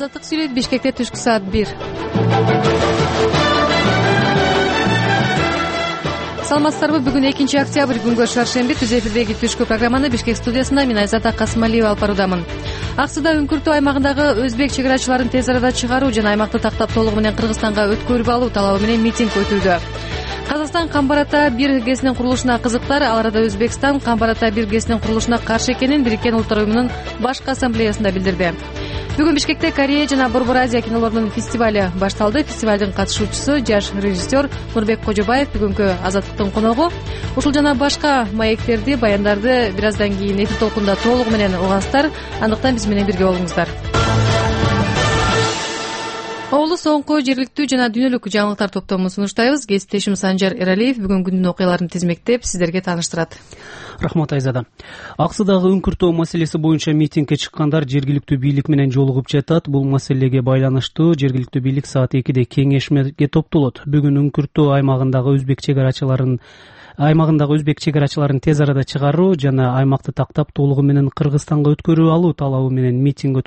Азаттык сүйлөйт. Бишкекте түшкү саат 1. Саламатсыздарбы? Бүгүн 2-октябрь күнгө шаршемби. Түз эфирдеги түшкү программаны Бишкек студиясында мен Айзат Касымалиева алып баруудамын. Аксыда үңкүртүү аймагындагы өзбек чек арачыларын тез арада чыгаруу жана аймакты тактап толугу менен Кыргызстанга өткөрүп алуу талабы менен митинг өтүүдө. Казакстан Камбар-Ата 1 ГЭСинин курулушуна кызыктар. Ал арада Өзбекстан Камбар-Ата 1 ГЭСинин курулушуна каршы экенин Бириккен Улуттар уюмунун башкы ассамблеясында билдирди. Бүгүн Бишкекте Корея жана Борбор Азия кинолорунун фестивалю башталды. Фестивалдын катышуучусу жаш режиссер Нурбек Кожобаев бүгүнкү Азаттыктын коногу. Ушул жана башка маектерди, баяндарды бир аздан кийин эфир толкунда толугу менен угасыздар. Андыктан биз менен бирге болуңуздар. Оолу соңку жергиликтүү жана дүйнөлүк жаңылыктар топтомун сунуштайбыз. Кесиптешим Санжар Эралиев бүгүн күндүн окуяларын тизмектеп сиздерге тааныштырат. Рахмат Айзада. Аксыдагы үңкүртөө маселеси боюнча митингге чыккандар жергиликтүү бийлик менен жолугуп жатат. Бул маселеге байланыштуу жергиликтүү бийлик саат 2-де кеңешмеге топтолот. Бүгүн үңкүртөө аймагындагы өзбек чек арачыларын тез арада чыгаруу жана аймакты тактап толугу менен Кыргызстанга өткөрүп алуу талабы менен митинг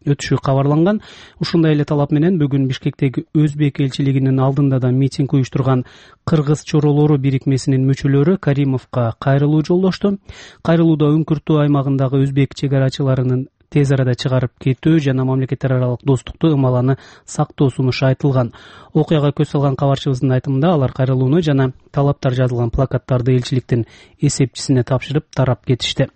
өтүшү кабарланган. Ушундай эле талап менен бүгүн Бишкектеги өзбек элчилигинин алдында да митинг уюштурган Кыргыз чоролору бирикмесинин мүчөлөрү Каримовго кайрылуу жолдошту. Кайрылууда үңкүртөө аймагындагы өзбек чек арачыларынын тез арада чыгарып кетүү жана мамлекеттер аралык достукту ымаланы сактоо сунушу айтылган. Окуяга көз салган кабарчыбыздын айтымында алар кайрылууну жана талаптар жазылган плакаттарды элчиликтин эсепчисине тапшырып тарап кетишти.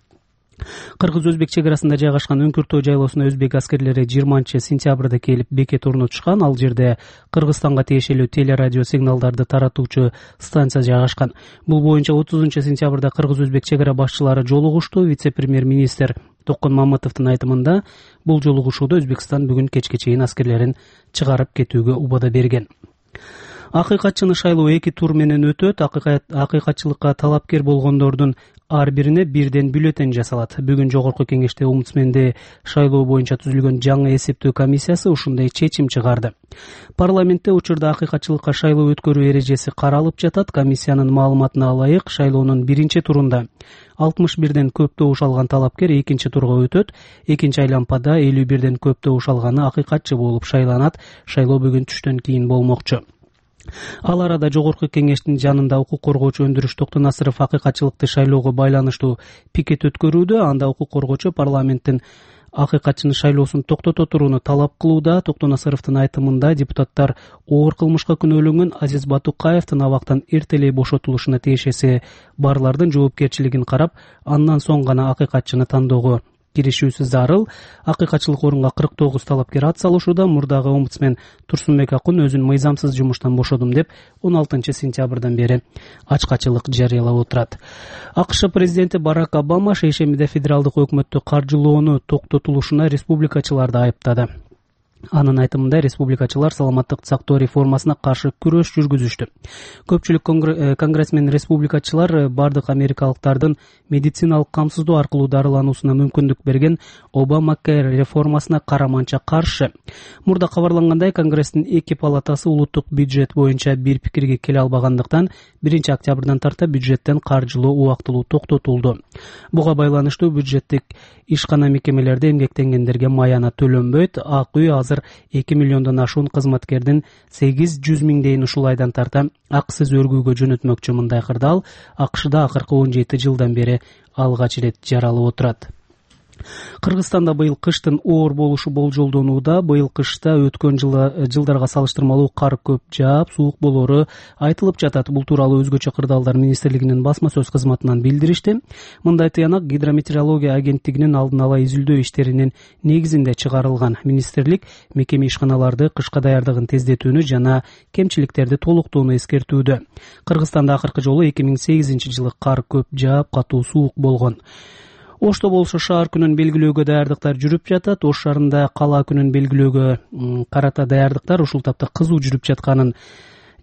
Кыргыз-өзбек чек арасында жайгашкан үңкүртөө жайлоосуна өзбек аскерлери 20-сентябрда келип бекет орнотушкан. Ал жерде Кыргызстанга тиешелүү телерадио сигналдарды таратуучу станция жайгашкан. Бул боюнча 30-сентябрда Кыргыз-өзбек чек ара башчылары жолугушту. Вице-премьер-министр Токон Маматовдун айтымында бул жолугушууда Өзбекстан бүгүн кечке чейин аскерлерин чыгарып кетүүгө убада берген. Акыйкатчыны шайлоо 2 тур менен өтөт. Акыйкатчылыкка талапкер болгондордун ар бирине бирден бюллетень жасалат. Бүгүн жогорку кеңеште омбудсменди шайлоо боюнча түзүлгөн жаңы эсептөө комиссиясы ушундай чечим чыгарды. Парламентте учурда акыйкатчылыкка шайлоо өткөрүү эрежеси каралып жатат. Комиссиянын маалыматына ылайык, шайлоонун биринчи турунда 61ден көп добуш алган талапкер экинчи турга өтөт. Экинчи айлампада 51ден көп добуш алганы акыйкатчы болуп шайланат. Шайлоо бүгүн түштөн кийин болмокчу. Ал арада жогорку кеңештин жанында укук коргоочу Өндүрүш Токтонасыров акыйкатчылыкты шайлоого байланыштуу пикет өткөрүүдө. Анда укук коргоочу парламенттин акыйкатчыны шайлоосун токтото турууну талап кылууда. Токтонасыровдун айтымында депутаттар оор кылмышка күнөөлөнгөн Азиз Батукаевдин абактан эртелей бошотулушуна тиешеси барлардын жоопкерчилигин карап, андан соң гана акыйкатчыны тандоого киришүүсү зарыл. Акыйкатчылык орунга 49 талапкер ат салышууда. Мурдагы омбудсмен Турсунбек Акун өзүн мыйзамсыз жумуштан бошодум деп 16-сентябрдан бери ачкачылык жарыялап отурат. АКШ президенти Барак Обама шейшембиде федералдык өкмөттү каржылоону токтотулушуна республикачыларды айыптады. Анын айтымында республикачылар саламаттык сактоо реформасына каршы күрөш жүргүзүштү. Көпчүлүк конгрессмен республикачылар бардык америкалыктардын медициналык камсыздоо аркылуу дарылануусуна мүмкүндүк берген Обамакер реформасына караманча каршы. Мурда кабарлангандай, Конгресстин 2 палатасы улуттук бюджет боюнча бир пикирге келе албагандыктан 1-октябрдан тарта бюджеттен каржылоо убактылуу токтотулду. Буга байланыштуу бюджеттик ишкана мекемелерде эмгектенгендерге маяна төлөнбөйт. Ак үй азыр 2 миллиондон ашуун кызматкердин 800 миңдейин ушул айдан тарта акысыз өргүүгө жөнөтмөкчү. Мындай кырдаал АКШда акыркы 17 жылдан бери алгач ирет жаралып отурат. Кыргызстанда быйыл кыштын оор болушу болжолдонууда. Быйыл кышта өткөн жылдарга салыштырмалуу кар көп жаап, суук болору айтылып жатат. Бул тууралуу өзгөчө кырдаалдар министрлигинин басма сөз кызматынан билдиришти. Мындай тыянак Гидрометеорология агенттигинин алдын ала изилдөө иштеринин негизинде чыгарылган. Министрлик мекеме ишканаларды кышка даярдыгын тездетүүнү жана кемчиликтерди толуктоону эскертүүдө. Кыргызстанда акыркы жолу 2008 жылы кар көп жаап, катуу суук болгон. Ошто болсо шаар күнүн белгилөөгө даярдыктар жүрүп жатат. Ош шаарында кала күнүн белгилөөгө карата даярдыктар ушул тапта кызуу жүрүп жатканын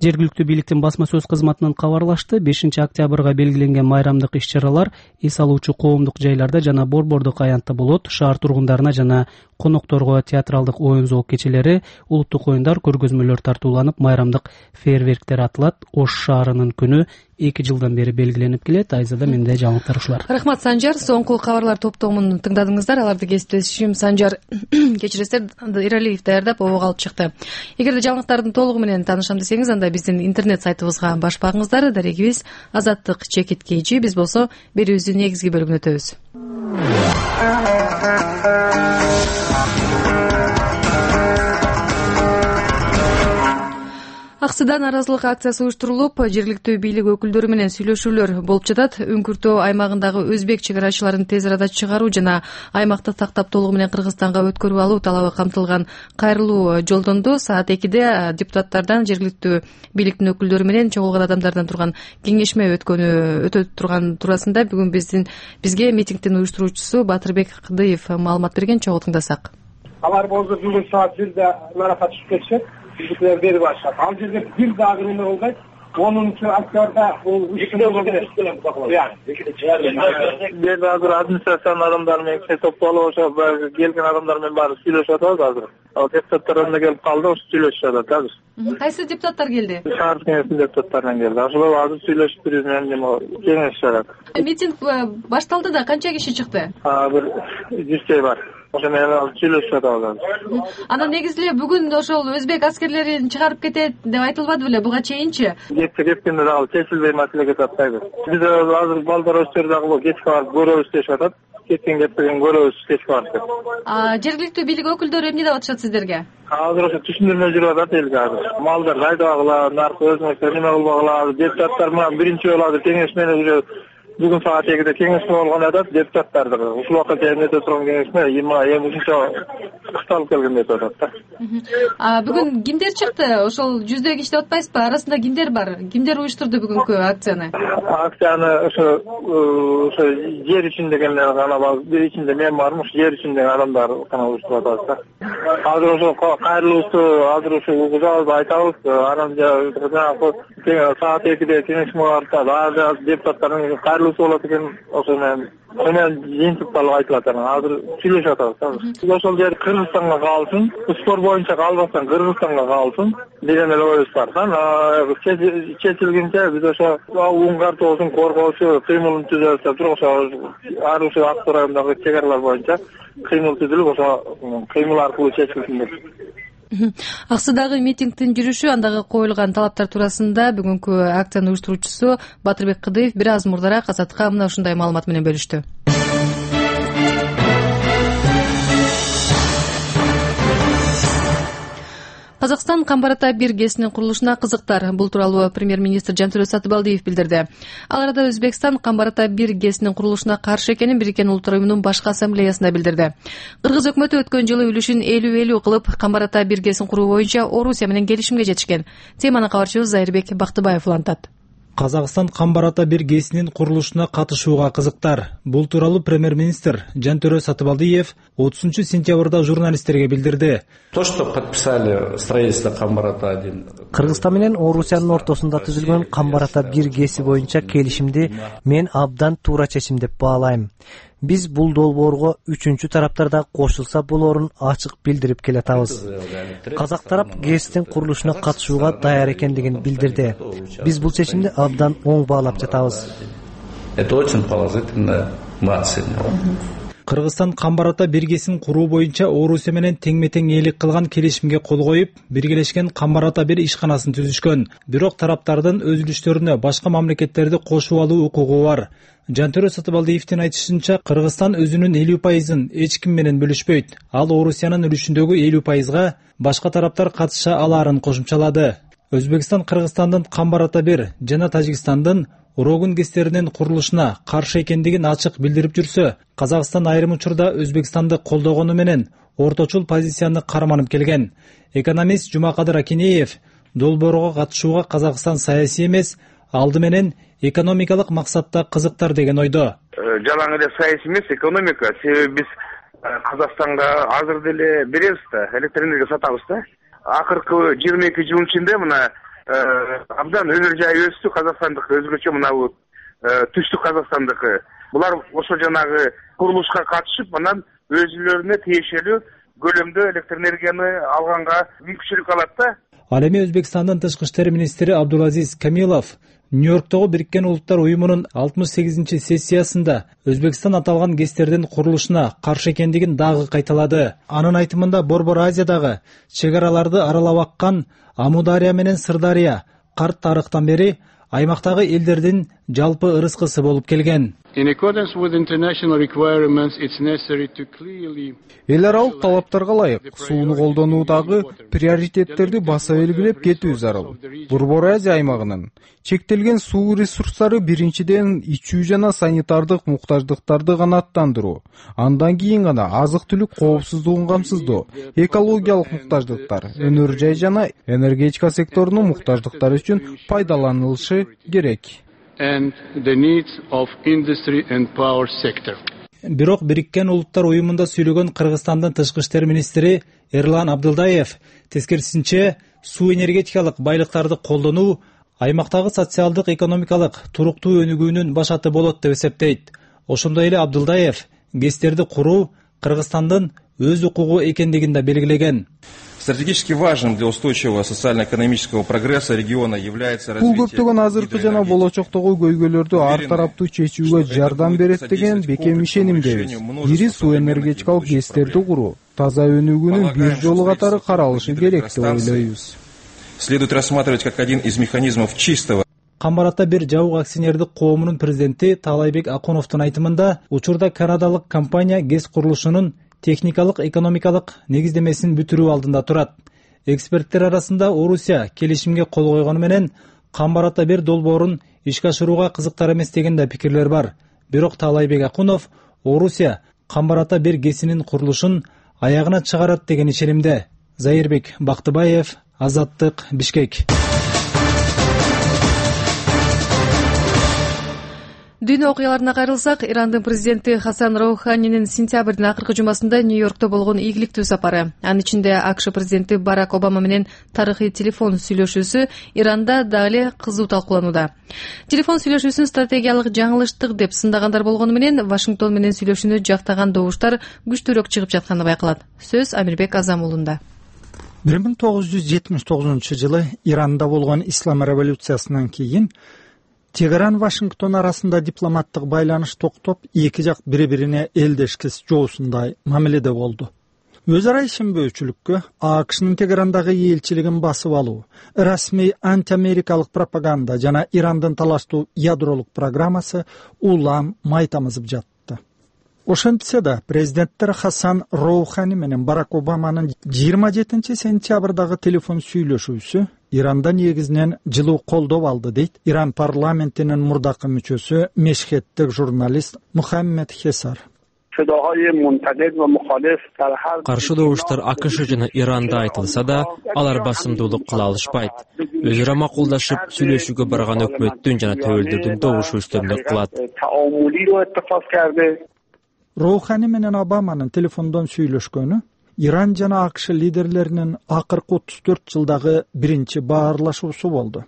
жергиликтүү бийликтин басма сөз кызматынан кабарлашты. 5-октябрга белгиленген майрамдык иш-чаралар эс алуучу коомдук жайларда жана борбордук аянтта болот. Шаар тургундарына жана конокторго театралдык оюн зоок кечелери, улуттук оюндар, көргөзмөлөр тартууланып, майрамдык фейерверктер атылат. Ош шаарынын күнү 2 жылдан бери белгиленип келет. Айзада, менде жаңылыктар ушулар. Рахмат, Санжар. Соңку кабарлар топтомун тыңдадыңыздар. Аларды кесиптешим Санжар кечиресиздер, Иралиев даярдап обого алып чыкты. Эгерде жаңылыктардын толугу менен таанышам десеңиз, анда биздин интернет сайтыбызга баш багыңыздар. Дарегибиз Азаттык чекит KG. Биз болсо берүүбүздүн негизги бөлүгүнө өтөбүз. Аксыда нааразылык акциясы уюштурулуп, жергиликтүү бийлик өкүлдөрү менен сүйлөшүүлөр болуп жатат. Үңкүртөө аймагындагы өзбек чек арачыларын тез арада чыгаруу жана аймакты тактап толугу менен Кыргызстанга өткөрүп алуу талабы камтылган кайрылуу жолдонду. Саат 2-де депутаттардан жергиликтүү бийликтин өкүлдөрү менен чогулган адамдардан турган кеңешме өтө турган туурасында бүгүн бизге митингдин уюштуруучусу Батырбек Кыдыев маалымат берген. Чогуу тыңдасак. Алар болсо бүгүн саат 1-де наракат түшүп кетишет. Bizimkiler beri başladı. Al cezir bir daha gününde oldaydı. 10. aktörde bu işini yani. Bir daha administrasyon adamlarıyla toplu olsa gelgen adamlarla bari süylöşüyordu hazır. O deputatlarına gelip kaldı, o süylöşüyordu hazır. Kaysı deputatlar geldi? Şahar kengesi deputatlarına geldi. Aslında hazır süylöşüp duruz benim kengesi. Miting baştaldı da kança kişi çıktı? Bir 100 şey var. Анан негизиле бүгүн ошол өзбек аскерлерин чыгарып кетет деп айтылбады беле буга чейинчи? Кеткенде дагы чечилбей маселеге таппайбыз. Биз азыр балдар өстөр дагы кечке барып көрөбүз дешип атат. Кетпеген көрөбүз кечке барып. Жергиликтүү бийлик өкүлдөрү эмне деп атышат сиздерге? Азыр ошо түшүндүрмө жүрүп атат элге азыр. Малдар кайдабагыла, наркы өзүнө неме кылбагыла, депутаттар менен биринчи жолу азыр кеңешмени бүгүн саат 2-де кеңешме болгон атат, депутаттарды ушул убакка чейин өтө турган кеңешме 23-чы кышталып келген деп атат да. Бүгүн кимдер чыкты? Ошол 100 киши деп атпайсызбы? Арасында кимдер бар? Кимдер уюштурду бүгүнкү акцияны? Акцияны ошо жер үчүн дегендер гана бар. Бир ичинде мен бармын, ошо жер үчүн деген адамдар гана уюштуруп атат да. Азыр ошо кайрылуусу, азыр ошо угузабыз айтабыз, анан саат 2-де кеңешме барып, азыр депутаттардын болот экен, ошо менен жыйынтык талап айтылат. Азыр сүйлөшүп атабыз. Ошол жер Кыргызстанга калсын, спор боюнча калбастан Кыргызстанга калсын деген эле оюбуз бар. Чечилгенче биз ошо уң картоосун коргоочу кыймылын түзөбүз туруп, ошо ар ушул Аксу районундагы чек аралар боюнча кыймыл түзүлүп, ошо кыймыл аркылуу чечилсин деп. Аксыдагы митингдин жүрүшү, андагы коюлган талаптар туурасында бүгүнкү акциянын уюштуруучусу Батырбек Кыдыев бир аз мурдараак Азатка мына ушундай маалымат менен бөлүштү. Казакстан Камбар Ата 1 ГЭСинин курулушуна кызыктар. Бул тууралуу премьер-министр Жантөрө Сатыбалдиев билдирди. Ал арада Өзбекстан Камбар Ата 1 ГЭСинин курулушуна каршы экенин Бириккен Улуттар уюмунун башкы ассамблеясында билдирди. Кыргыз өкмөтү өткөн жылы үлүшүн 50-50 кылып Камбар Ата 1 ГЭСин куруу боюнча Орусия менен келишимге жетишкен. Теманы кабарчыбыз Зайырбек Бактыбаев улантат. Казакстан Камбар Ата 1 ГЭСинин курулушуна катышууга кызыктар. Бул тууралуу премьер-министр Жантөрө Сатыбалдиев 30-сентябрда журналисттерге билдирди. То, что подписали строительство Камбар Ата 1. Кыргызстан менен Орусиянын ортосунда түзүлгөн Камбар Ата 1 ГЭСи боюнча келишимди мен абдан туура чечим деп баалайм. Биз бул долбоорго үчүнчү тараптар да кошулса болоорун ачык билдирип келатабыз. Казак тарап ГЭСтин курулушуна катышууга даяр экендигин билдирди. Биз бул чечимди абдан оң баалап жатабыз. Это очень положительно, мы оцениваем. Кыргызстан Камбар Ата 1 ГЭСин куруу боюнча Орусия менен теңме-тең ээлик кылган келишимге кол коюп, биргелешкен Камбар Ата 1 ишканасын түзүшкөн. Бирок тараптардын өз үлүштөрүнө башка мамлекеттерди кошуп алуу укугу бар. Жантөрө Сатыбалдиевдин айтышынча, Кыргызстан өзүнүн 50%-ын эч ким менен бөлүшпөйт. Ал Орусиянын үлүшүндөгү 50%-га башка тараптар катыша алаарын кошумчалады. Өзбекстан Кыргызстандын Камбар Ата 1 жана Тажикстандын Урогун ГЭСтеринин курулушуна каршы экендигин ачык билдирип жүрсө, Казакстан айрым учурда Өзбекстанды колдогону менен орточул позицияны карманып келген. Экономист Жумакадыр Акинеев долбоорго катышууга Казакстан саясий эмес, алды менен экономикалык максатта кызыктар деген ойдо. Жалаң эле саясий эмес, экономика. Себеби биз Казакстанга азыр деле беребиз да, электр энергия сатабыз да. Акыркы 22 жыл ичинде мына абдан өмүр жайы өстү. Казакстандык өзгөчө мына бул түштүк Казакстандыкы. Булар ошо жанагы курулушка катышып, анан өзүлөрүнө тиешелүү көлөмдө электр энергияны алганга мүмкүнчүлүк алат да. Ал эми Өзбекстандын тышкы иштер министри Абдулазиз Камилов Нью-Йорктогу Бириккен Улуттар уюмунун 68 сессиясында Өзбекстан аталган ГЭСтердин курулушуна каршы экендигин дагы кайталады. Анын айтымында Борбор Азиядагы чек араларды аралап аккан Амудария менен Сырдария карт тарыхтан бери аймактагы элдердин жалпы ырыскысы болуп келген. Эл аралык талаптарга ылайык сууну колдонуудагы приоритеттерди баса белгилеп кетүү зарыл. Борбор Азия аймагынын чектелген суу ресурстары биринчиден ичүү жана санитардык муктаждыктарды канааттандыруу, андан кийин гана азык-түлүк коопсуздугун камсыздоо, экологиялык муктаждыктар, өнөр жай жана энергетика секторунун муктаждыктары үчүн пайдаланылышы керек. Бирок Бириккен Улуттар уюмунда сүйлөгөн Кыргызстандын тышкы иштер министри Эрлан Абдылдаев тескерисинче суу энергетикалык байлыктарды колдонуу аймактагы социалдык экономикалык туруктуу өнүгүүнүн башаты болот деп эсептейт. Ошондой эле Абдылдаев ГЭСтерди куруу Кыргызстандын өз укугу экендигин да белгилеген. Стратегически важным для устойчивого социально-экономического прогресса региона является развитие. Бул көптөгөн азыркы жана болочоктогу көйгөйлөрдү ар тараптуу чечүүгө жардам берет деген бекем ишенимдебиз. Ири суу энергетикалык ГЭСтерди куруу таза өнүгүүнүн бир жолу катары каралышы керек деп ойлойбуз. Следует рассматривать как один из механизмов чистого. Камбарата бир жабык акционердик коомунун президенти Таалайбек Акуновдун айтымында учурда канадалык компания ГЭС курулушунун техникалык экономикалык негиздемесин бүтүрүү алдында турат. Эксперттер арасында Орусия келишимге кол койгону менен Камбарата бир долбоорун ишке ашырууга кызыктар эмес деген да пикирлер бар. Бирок Таалайбек Акунов Орусия Камбарата бир ГЭСинин курулушун аягына чыгарат деген ишенимде. Зайырбек Бактыбаев, Азаттык, Бишкек. Дүйнө окуяларына кайрылсак, Ирандын президенти Хасан Роуханинин сентябрдын акыркы жумасында Нью-Йоркто болгон ийгиликтүү сапары, анын ичинде АКШ президенти Барак Обама менен тарыхый телефон сүйлөшүүсү Иранда дагы эле кызуу талкууланууда. Телефон сүйлөшүүсүн стратегиялык жаңылыштык деп сындагандар болгону менен Вашингтон менен сүйлөшүүнү жактаган добуштар күчтүүрөөк чыгып жатканы байкалат. Сөз Амирбек Азамулунда. 1979 Иранда болгон ислам революциясынан кийин Тегеран Вашингтон арасында дипломаттык байланыш токтоп, эки жак бири-бирине элдешкис жоосундай мамиледе болду. Өз ара ишенбөөчүлүккө АКШнын Тегерандагы элчилигин басып алуу, расмий антиамерикалык пропаганда жана Ирандын талаштуу ядролук программасы улам май тамызып жатты. Ошентсе да президенттер Хасан Роухани менен Барак Обаманын 27 сентябрдагы телефон сүйлөшүүсү Иранда негизинен жылуу колдоо алды дейт Иран парламентинин мурдакы мүчөсү, мешхеттик журналист Мухаммед Хесар. Каршы добуштар АКШ жана Иранда айтылса да, алар басымдуулук кыла алышпайт. Өз ара макулдашып, сүйлөшүүгө барган өкмөттүн жана төбөлдөрдүн добушу үстөмдүк кылат. Роухани менен Обаманын телефондон сүйлөшкөнү Иран жана АКШ лидерлеринин акыркы 34 жылдагы биринчи баарлашуусу болду.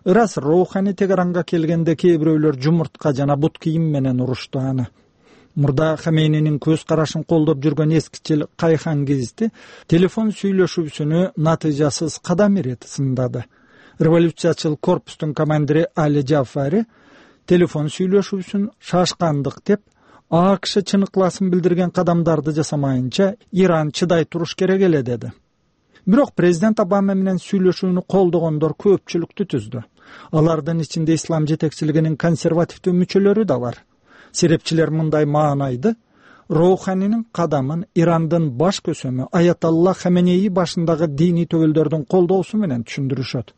Ырас Роухани Тегеранга келгенде кээ бирөөлөр жумуртка жана бут кийим менен урушту аны. Мурда Хаменинин көз карашын колдоп жүргөн эскичил Кайхан Гизти телефон сүйлөшүүсүнү натыйжасыз кадам ирет сындады. Революциячыл корпустун командири Али Джафари телефон сүйлөшүүсүн шашкандык деп АКШ чыныкласын билдирген кадамдарды жасамайынча Иран чыдай туруш керек эле деди. Бирок президент Обама менен сүйлөшүүнү колдогондор көпчүлүктү түздү. Алардын ичинде ислам жетекчилигинин консервативдүү мүчөлөрү да бар. Серепчилер мындай маанайды: Роуханинин кадамын Ирандын баш көсөмү Аятолла Хаменеи башындагы диний төбөлдөрдүн колдоосу менен түшүндүрүшөт.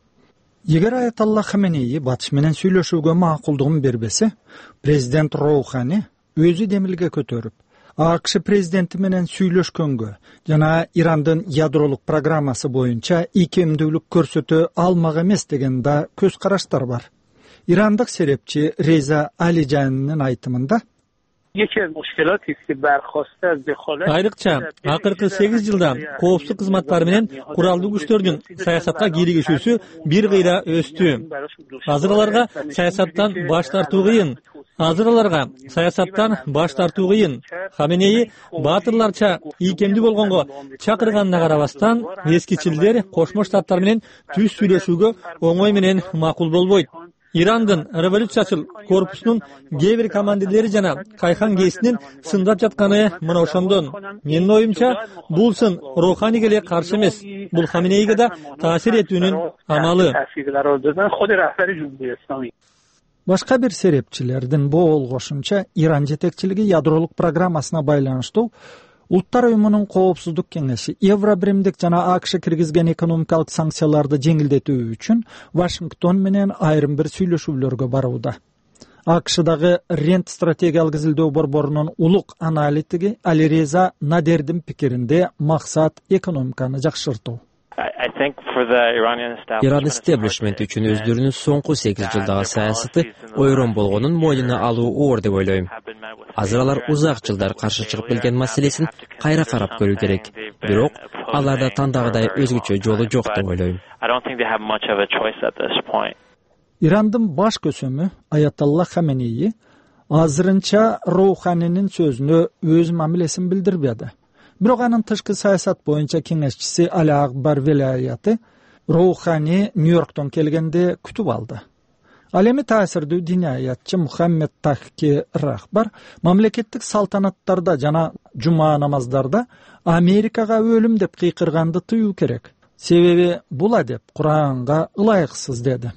Эгер Аятолла Хаменеи батыш менен сүйлөшүүгө макулдугун бербесе, президент Роухани өзү демилге көтөрүп, АКШ президенти менен сүйлөшкөнгө жана Ирандын ядролук программасы боюнча икемдүүлүк көрсөтө алмак эмес деген да көз караштар бар. Ирандык серепчи Реза Алижанынын айтымында айрыкча акыркы 8 жылда коопсуздук кызматтары менен куралдуу күчтөрдүн саясатка кийлигишүүсү бир кыйра өстү. Азыр аларга саясаттан баш тартуу кыйын. азыр аларга саясаттан баш тартуу кыйын. Хаменеи баатырларча ийкемдүү болгонго чакырганына карабастан, эскичилдер Кошмо Штаттар менен түз сүйлөшүүгө оңой менен макул болбойт. Ирандын революциячыл корпусунун кээ бир командирлери жана Кайхан гейсинин сындап жатканы мына ошондон. Менин оюмча, бул сын Роуханиге эле каршы эмес. Бул Хаменейге да таасир этүүнүн амалы. Башка бир серепчилердин боолгошунча, Иран жетекчилиги ядролук программасына байланыштуу Улуттар уюмунун коопсуздук кеңеши Евробиримдик жана АКШ киргизген экономикалык санкцияларды жеңилдетүү үчүн Вашингтон менен айрым бир сүйлөшүүлөргө барууда. АКШдагы Рент стратегиялык изилдөө борборунун улук аналитиги Алиреза Надердин пикиринде максат экономиканы жакшыртуу. Иран истеблишменти үчүн өздөрүнүн соңку 8 жылдагы саясаты ойрон болгонун мойнуна алуу оор деп ойлойм. Азыр алар узак жылдар каршы чыгып келген маселесин кайра карап көрүү керек. Бирок аларда тандагыдай өзгөчө жолу жок деп ойлойм. Ирандын баш көсөмү Аятолла Хаменеи азырынча Роуханинин сөзүнө өз мамилесин билдирбеди. Бирок анын тышкы саясат боюнча кеңешчиси Али Акбар Велаяты Роухани Нью-Йорктон келгенде күтүп алды. Ал эми таасирдүү диниаятчы Мухаммед Тахки Рахбар мамлекеттик салтанаттарда жана жума намаздарда Америкага өлүм деп кыйкырганды тыюу керек. Себеби бул адеп Куранга ылайыксыз деди.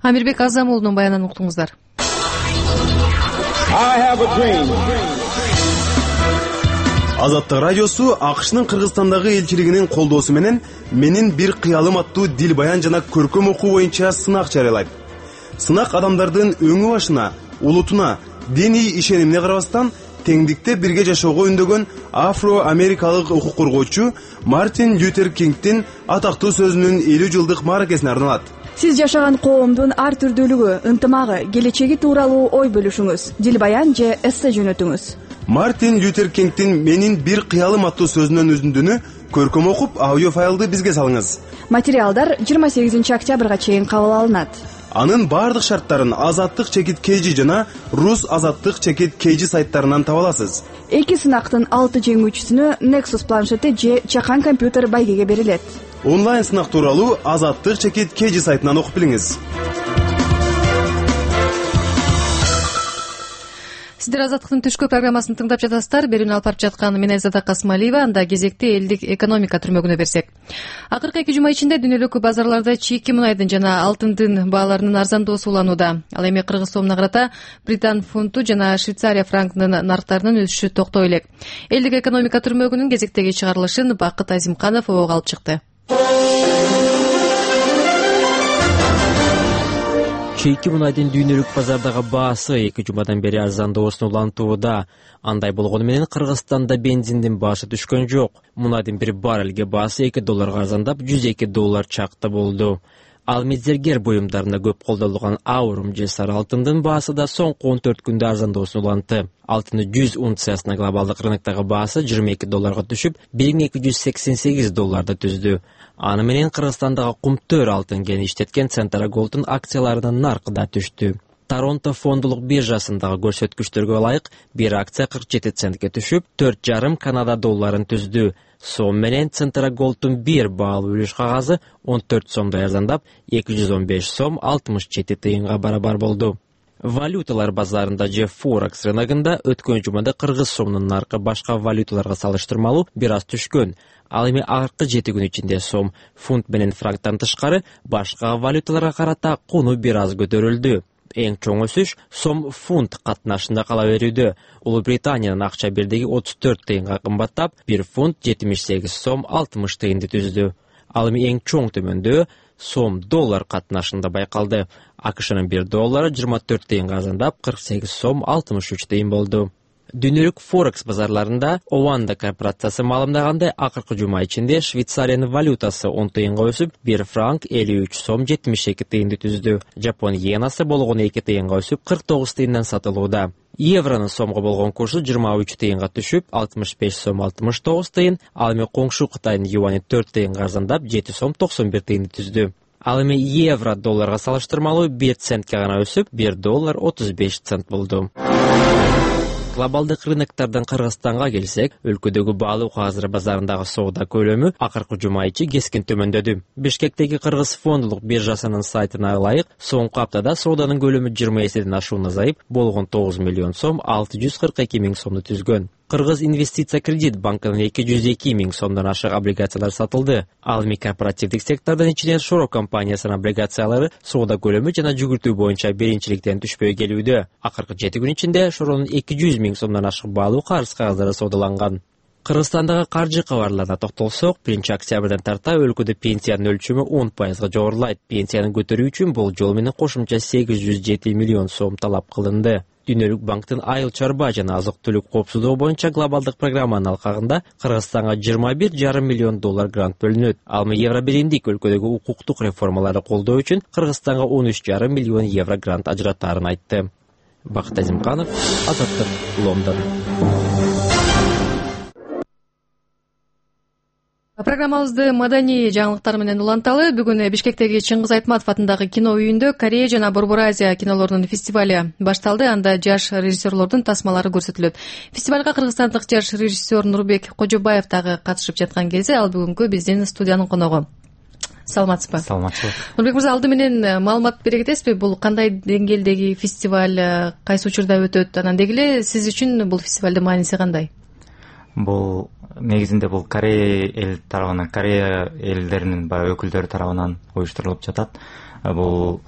Амирбек Азамулдун баянын уктуңуздар. Азаттык радиосу АКШнын Кыргызстандагы элчилигинин колдоосу менен менин бир кыялым аттуу дил баян жана көркөм окуу боюнча сынак жарыялайт. Сынак адамдардын өңү башына, улутуна, диний ишенимине карабастан теңдикте бирге жашоого үндөгөн афро-америкалык укук коргоочу Мартин Лютер Кингдин атактуу сөзүнүн 50 жылдык мааракесине арналат. Сиз жашаган коомдун ар түрдүүлүгү, ынтымагы, келечеги тууралуу ой бөлүшүңүз, дил баян же эссе жөнөтүңүз. Мартин Лютер Кингдин менин бир кыялым аттуу сөзүнүн үзүндүнү көркөм окуп, аудио файлды бизге салыңыз. Материалдар 28 октябрга чейин кабыл алынат. Анын бардык шарттарын Азаттык чекит KG жана Рус Азаттык чекит KG сайттарынан таба аласыз. Эки сынактын 6 жеңүүчүсүнө Nexus планшети же чакан компьютер байгеге берилет. Онлайн сынак тууралуу Азаттык чекит KG сайтынан окуп билиңиз. Сиздер Азаттыктын түшкү программасын тыңдап жатасыздар. Берүүнү алып барып жаткан мен Айзада Касмалиева. Анда кезекти элдик экономика түрмөгүнө берсек. Акыркы 2 жума ичинде дүйнөлүк базарларда чийки мунайдын жана алтындын бааларынын арзандоосу уланууда. Ал эми кыргыз сомуна карата Британ фунту жана Швейцария франкынын нарктарынын өсүшү токтой элек. Элдик экономика түрмөгүнүн кезектеги чыгарылышын Бакыт Азимканов обого алып чыкты. Чийки мунайдын дүйнөлүк базардагы баасы 2 жумадан бери арзандоосун улантууда. Андай болгону менен Кыргызстанда бензиндин баасы түшкөн жок. Мунайдын бир баррелге баасы $2 арзандап $102 чакта болду. Ал мезергер буюмдарында көп колдонулган аурум же сары алтындын баасы да соңку 14 күндө арзандоосун улантты. Алтындын 100 унциясынын глобалдык рыноктогу баасы $22 түшүп, $1288 түздү. Аны менен Кыргызстандагы кумтөр алтын кен иштеткен Центра Голдун акцияларынын наркы да түштү. Торонто фондулук биржасындагы көрсөткүчтөргө ылайык бир акция 47 центке түшүп, $4,5 Канада долларын түздү. Сом менен Центра Голдун бир баалуу үлүш кагазы 14 сомдой арзандап, $215.67 барабар болду. Валюталар базарында же Форекс рыногунда өткөн жумада кыргыз сомунун наркы башка валюталарга салыштырмалуу бир аз түшкөн. Ал эми акыркы 7 күн ичинде сом, фунт менен франктан тышкары башка валюталарга карата куну бир аз көтөрүлдү. Эң чоң өсүш сом фунт катнашында кала берүүдө. Улуу Британиянын акча бирдиги 34 тыйынга кымбаттап, 1 фунт 78 сом 60 тыйынды түздү. Ал эми эң чоң төмөндөө сом доллар катнашында байкалды. АКШнын 1 доллары 24 тыйынга арзандап, 48 сом 63 тыйын болду. Дүйнөлүк Форекс базарларында Ованда корпорациясы маалымдагандай, акыркы жума ичинде Швейцариянын валютасы 10 тыйынга өсүп, 1 франк 53 сом 72 тыйынды түздү. Жапон йенасы болгону 2 тыйынга өсүп, 49 тыйындан сатылууда. Евронун сомго болгон курсу 23 тыйынга түшүп, 65 сом 69 тыйын, ал эми коңшу Кытайдын юани 4 тыйынга арзандап, 7 сом 91 тыйынды түздү. Ал эми евро долларга салыштырмалуу 1 центке гана өсүп, $1 35 цент болду. Глобалдык рыноктардан Кыргызстанга келсек, өлкөдөгү баалуу кагаздар базарындагы соода көлөмү акыркы жума ичи кескин төмөндөдү. Бишкектеги Кыргыз фондулук биржасынын сайтына ылайык, соңку аптада сооданын көлөмү 20 эседен ашуун азайып, болгон 9 миллион сом 642 миң сомду түзгөн. Кыргыз инвестиция кредит банкынын 202 миң сомдон ашык облигациялар сатылды. Ал эми корпоративдик сектордун ичинен Шоро компаниясынын облигациялары соода көлөмү жана жүгүртүү боюнча биринчиликтен түшпөй келүүдө. Акыркы 7 күн ичинде Шоронун 200 миң сомдон ашык баалуу карыз кагаздары соодаланган. Кыргызстандагы каржы кабарларына токтолсок, 1 октябрдан тарта өлкөдө пенсиянын өлчөмү 10% жогорулайт. Пенсияны көтөрүү үчүн болжол менен кошумча 807 миллион сом талап кылынды. Дүйнөлүк банктын айыл чарба жана азык-түлүк коопсуздугу боюнча глобалдык программанын алкагында Кыргызстанга $21,5 миллион грант бөлүнөт. Ал эми Евробиримдик өлкөдөгү укуктук реформаларды колдоо үчүн Кыргызстанга €13,5 миллион грант ажыратаарын айтты. Бакыт Азимканов, Азаттык, Лондон. Программабызды маданий жаңылыктар менен уланталы. Бүгүн Бишкектеги Чыңгыз Айтматов атындагы кино үйүндө Корея жана Борбор Азия кинолорунун фестивалю башталды. Анда жаш режиссерлордун тасмалары көрсөтүлөт. Фестивалга кыргызстандык жаш режиссер Нурбек Кожобаев дагы катышып жаткан кезде ал бүгүнкү биздин студиянын коногу. Саламатсызбы? Саламатсызбы. Нурбек мырза, алды менен маалымат бере кетесизби? Бул кандай деңгээлдеги фестиваль, кайсы учурда өтөт? Анан деги эле сиз үчүн бул фестивалдын мааниси кандай? Бул негизинде бул Корея эл тарабынан, Корея элдеринин баягы өкүлдөрү тарабынан уюштурулуп жатат. Бул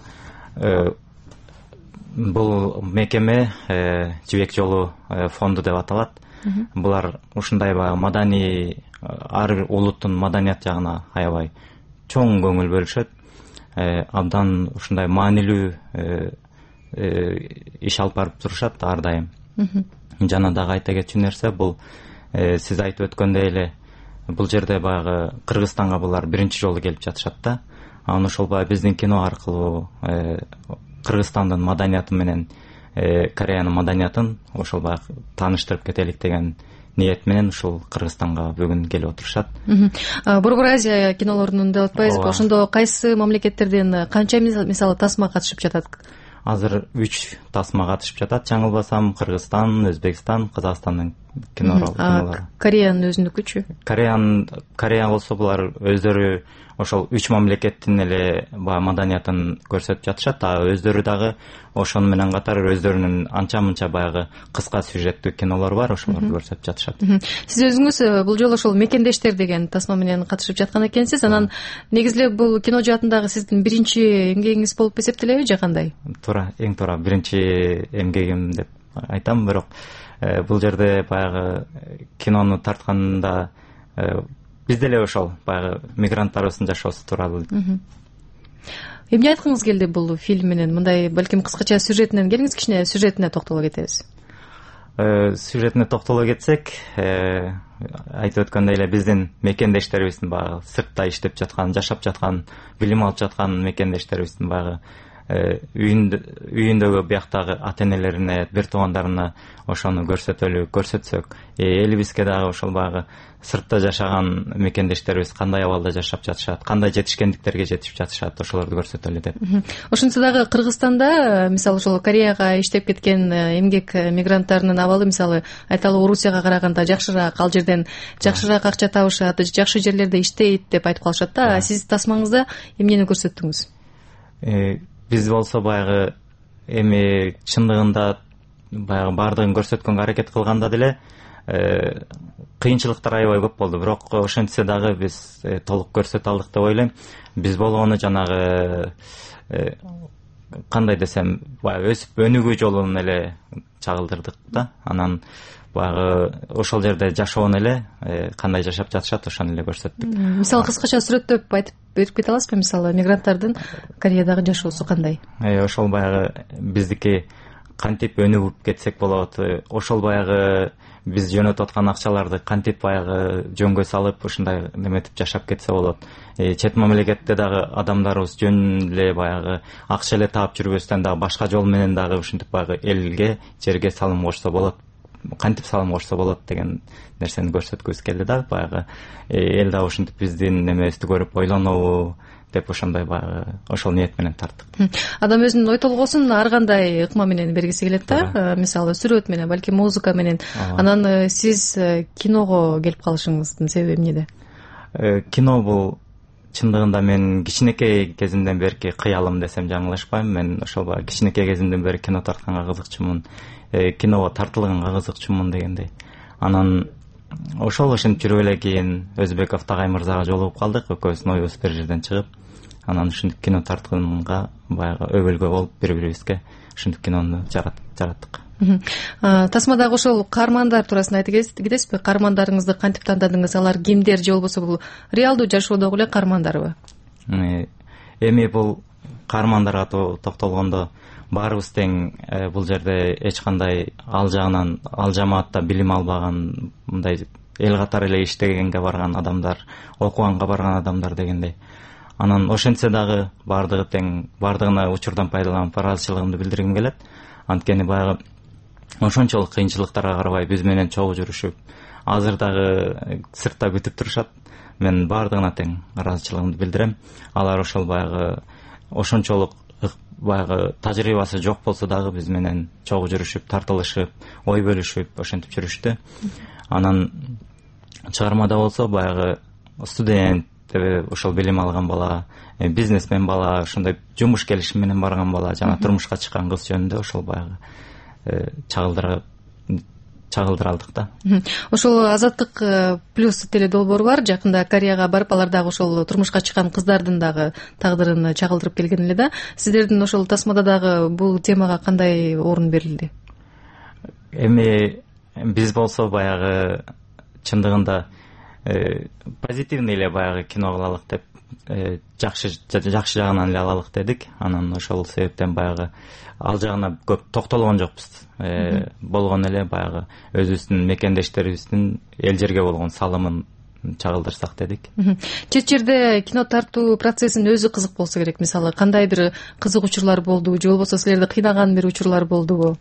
мекеме Жибек жолу фонду деп аталат. Булар ушундай баягы маданий, ар бир улуттун маданият жагына аябай чоң көңүл бөлүшөт. Абдан ушундай маанилүү иш алып барып турушат ар дайым. Жана дагы айта кетчү нерсе, бул сиз айтып өткөндөй эле бул жерде баягы Кыргызстанга булар биринчи жолу келип жатышат да. Анан ошол баягы биздин кино аркылуу Кыргызстандын маданияты менен Кореянын маданиятын ошол баягы тааныштырып кетелик деген ниет менен ушул Кыргызстанга бүгүн келип отурушат. Борбор Азия кинолорунун деп атпайсызбы? Ошондо кайсы мамлекеттерден канча мисалы тасма катышып жатат? Азыр 3 тасма катышып жатат. Чаңылбасам Кыргызстан, Өзбекстан, Казакстандын кинолору. Кореянын өзүнүкүчү? Корея болсо булар өздөрү ошол 3 мамлекеттин эле баягы маданиятын көрсөтүп жатышат. Өздөрү дагы ошону менен катар өздөрүнүн анча-мынча баягы кыска сюжеттүү кинолору бар, ошолорду көрсөтүп жатышат. Сиз өзүңүз бул жолу ошол Мекендештер деген тасма менен катышып жаткан экенсиз. Анан негизи эле бул кино жаатындагы сиздин биринчи эмгегиңиз болуп эсептелеби же кандай? Туура, эң туура биринчи эмгегим деп айтам, бирок бул жерде баягы кинону тартканда биз деле ошол баягы мигранттарыбыздын жашоосу тууралуу. Эмне айткыңыз келди бул фильм менен? Мындай балким кыскача сюжетинен келиңиз, кичине сюжетине токтоло кетебиз. Сюжетине токтоло кетсек, айтып өткөндөй эле биздин мекендештерибиздин баягы сыртта иштеп жаткан, жашап жаткан, билим алып жаткан мекендештерибиздин баягы үйүндөгү бияктагы ата энелерине, бир туугандарына ошону көрсөтсөк, элибизге дагы ошол баягы сыртта жашаган мекендештерибиз кандай абалда жашап жатышат, кандай жетишкендиктерге жетип жатышат, ошолорду көрсөтөлү деп. Ошентсе дагы Кыргызстанда мисалы ошол Кореяга иштеп кеткен эмгек мигранттарынын абалы мисалы айталы Орусияга караганда жакшыраак, ал жерден жакшыраак акча табышат, жакшы жерлерде иштейт деп айтып калышат да. Сиз тасмаңызда эмнени көрсөттүңүз? Биз болсо баягы эми чындыгында баягы баардыгын көрсөткөнгө аракет кылганда деле кыйынчылыктар аябай көп болду, бирок ошентсе дагы биз толук көрсөтө алдык деп ойлойм. Биз болгону жанагы кандай десем, баягы өсүп өнүгүү жолун эле чагылдырдык да. Анан баягы ошол жерде жашоон эле кандай жашап жатышат ошону эле көрсөттүк. Мисалы кыскача сүрөттөп айтып берип кете аласызбы? Мисалы мигранттардын Кореядагы жашоосу кандай? Ошол баягы биздики кантип өнүгүп кетсек болот, ошол баягы биз жөнөтүп аткан акчаларды кантип баягы жөнгө салып ушундай неметип жашап кетсе болот. Чет мамлекетте дагы адамдарыбыз жөн эле баягы акча эле таап жүрбөстөн дагы башка жол менен дагы ушинтип баягы элге, жерге салым кошсо болот. кантип салым кошсо болот деген нерсени көрсөткүбүз келди да. Баягы эл дагы ушинтип биздин немебизди көрүп ойлонобу деп ошондой баягы ошол ниет менен тарттык. Адам өзүнүн ой толгоосун ар кандай ыкма менен бергиси келет да. Мисалы сүрөт менен, балки музыка менен. Анан сиз киного келип калышыңыздын себеби эмнеде? Кино бул чындыгында мен кичинекей кезимден берки кыялым десем жаңылышпайм. Мен ошол баягы кичинекей кезимден бери кино тартканга кызыкчумун, киного тартылганга кызыкчумун дегендей. Анан ошол ошентип жүрүп эле кийин Өзбеков Тагай мырзага жолугуп калдык, экөөбүздүн оюбуз бир жерден чыгып, анан ушинтип кино тартканга баягы өбөлгө болуп бири-бирибизге ушинтип кинону жараттык. Тасмадагы ошол каармандар туурасында айтып кетесизби? Каармандарыңызды кантип тандадыңыз? Алар кимдер же болбосо бул реалдуу жашоодогу эле каармандарбы? Эми бул каармандарга токтолгондо баарыбыз тең бул жерде эч кандай ал жагынан ал жамаатта билим албаган, мындай эл катары эле иштегенге барган адамдар, окуганга барган адамдар дегендей. Анан ошентсе дагы баардыгы тең, баардыгына учурдан пайдаланып ыраазычылыгымды билдиргим келет. Анткени баягы ошончолук кыйынчылыктарга карабай биз менен чогуу жүрүшүп, азыр дагы сыртта күтүп турушат. Мен баардыгына тең ыраазычылыгымды билдирем. Алар ошол баягы ошончолук баягы тажрыйбасы жок болсо дагы биз менен чогуу жүрүшүп, тартылышып, ой бөлүшүп ошентип жүрүштү. Анан чыгармада болсо баягы студент, ошол билим алган бала, бизнесмен бала, ошондой жумуш келишим менен барган бала, жана турмушка чыккан кыз жөнүндө ошол баягы чагылдыралдык да. Ошол Азаттык плюс теледолбоору бар. Жакында Кореяга барып, алар дагы ошол турмушка чыккан кыздардын дагы тагдырын чагылдырып келген эле да. Сиздердин ошол тасмада дагы бул темага кандай орун берилди? Эми биз болсо баягы чындыгында позитивный эле баягы кино кылалык деп, жакшы жагынан эле алалык дедик. Анан ошол себептен баягы ал жагына көп токтолгон жокпуз. Болгон эле баягы өзүбүздүн мекендештерибиздин эл жерге болгон салымын чагылдырсак дедик. Чет жерде кино тартуу процессинин өзү кызык болсо керек. Мисалы кандай бир кызык учурлар болду же болбосо силерди кыйнаган бир учурлар болдубу?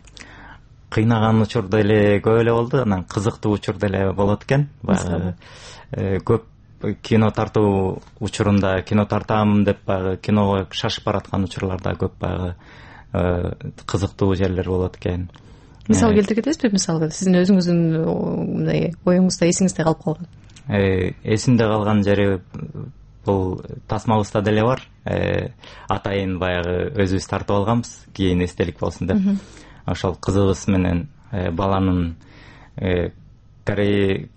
Кыйнаган учур деле көп эле болду, анан кызыктуу учур деле болот экен. Баягы көп кино тартуу учурунда кино тартам деп баягы киного шашып бараткан учурларда көп баягы кызыктуу жерлер болот экен. Мисал келтире кетесизби? Мисалы сиздин өзүңүздүн мындай оюңузда, эсиңизде калып калган? Эсимде калган жери бул тасмабызда деле бар. Атайын баягы өзүбүз тартып алганбыз, кийин эстелик болсун деп. Ошол кызыбыз менен баланын Корея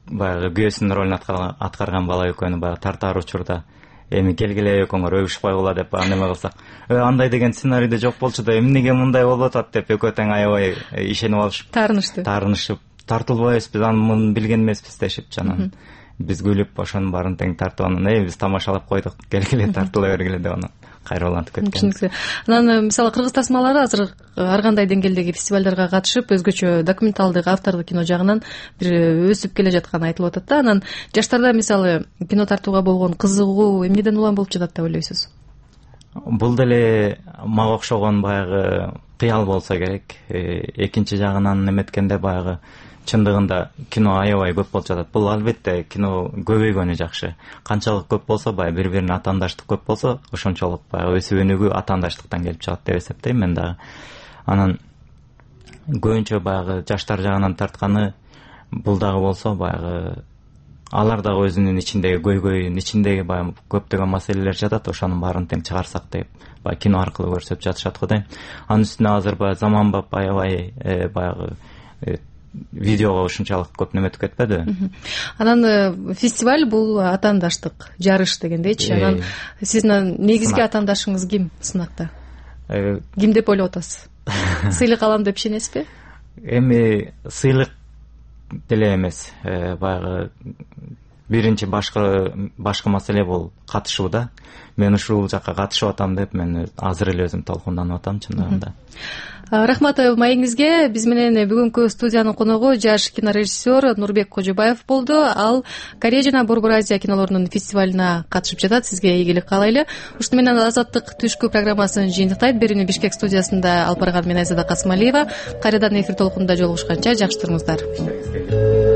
баягы күйөөсүнүн ролун аткарган бала экөөнү баягы тартаар учурда эми келгиле экөөңөр өбүшүп койгула деп неме кылсак, андай деген сценарийде жок болчу да эмнеге мындай болуп атат деп экөө тең аябай ишенип алышып, таарынышып, тартылбайбыз биз аны билген эмеспиз дешип, анан биз күлүп ошонун баарын тең тартып анан биз тамашалап койдук, келгиле тартыла бергиле деп анан кайрылантып кеткен. Анан мисалы кыргыз тасмалары азыр ар кандай деңгээлдеги фестивалдарга катышып, өзгөчө документалдык, автордук кино жагынан бир өсүп келе жатканы айтылып атат да. Анан жаштарда мисалы кино тартууга болгон кызыгуу эмнеден улам болуп жатат деп ойлойсуз? Бул деле мага окшогон баягы кыял болсо керек. Экинчи жагынан эметкенде баягы чындыгында кино аябай көп болуп жатат. Бул албетте кино көбөйгөнү жакшы. Канчалык көп болсо, баягы бири-бирине атаандаштык көп болсо, ошончолук баягы өсүп өнүгүү атаандаштыктан келип чыгат деп эсептейм мен дагы. Анан көбүнчө баягы жаштар жагынан тартканы бул дагы болсо, баягы алар дагы өзүнүн ичиндеги көйгөйүн, ичиндеги баягы көптөгөн маселелер жатат, ошонун баарын тең чыгарсак деп баягы кино аркылуу көрсөтүп жатышат го дейм. Анын үстүнө азыр баягы заманбап аябай баягы видеого ушунчалык көп неметип кетпеди. Анан фестиваль бул атаандаштык, жарыш дегендейчи. Анан сиздин негизги атаандашыңыз ким сынакта? Ким деп ойлоп атасыз? Сыйлык алам деп ишенесизби? Эми сыйлык деле эмес, баягы биринчи башкы маселе бул катышуу да. Мен ушул жакка катышып атам деп мен азыр эле өзүм толкунданып атам чындыгында. Рахмат маегиңизге. Биз менен бүгүнкү студиянын коногу жаш кинорежиссер Нурбек Кожобаев болду. Ал Корея жана Борбор Азия кинолорунун фестивалына катышып жатат. Сизге ийгилик каалайлы. Ушуну менен Азаттык түшкү программасын жыйынтыктайт. Берүүнү Бишкек студиясында алып барган мен Айзада Касымалиева. Кайрадан эфир толкунунда жолугушканча жакшы туруңуздар.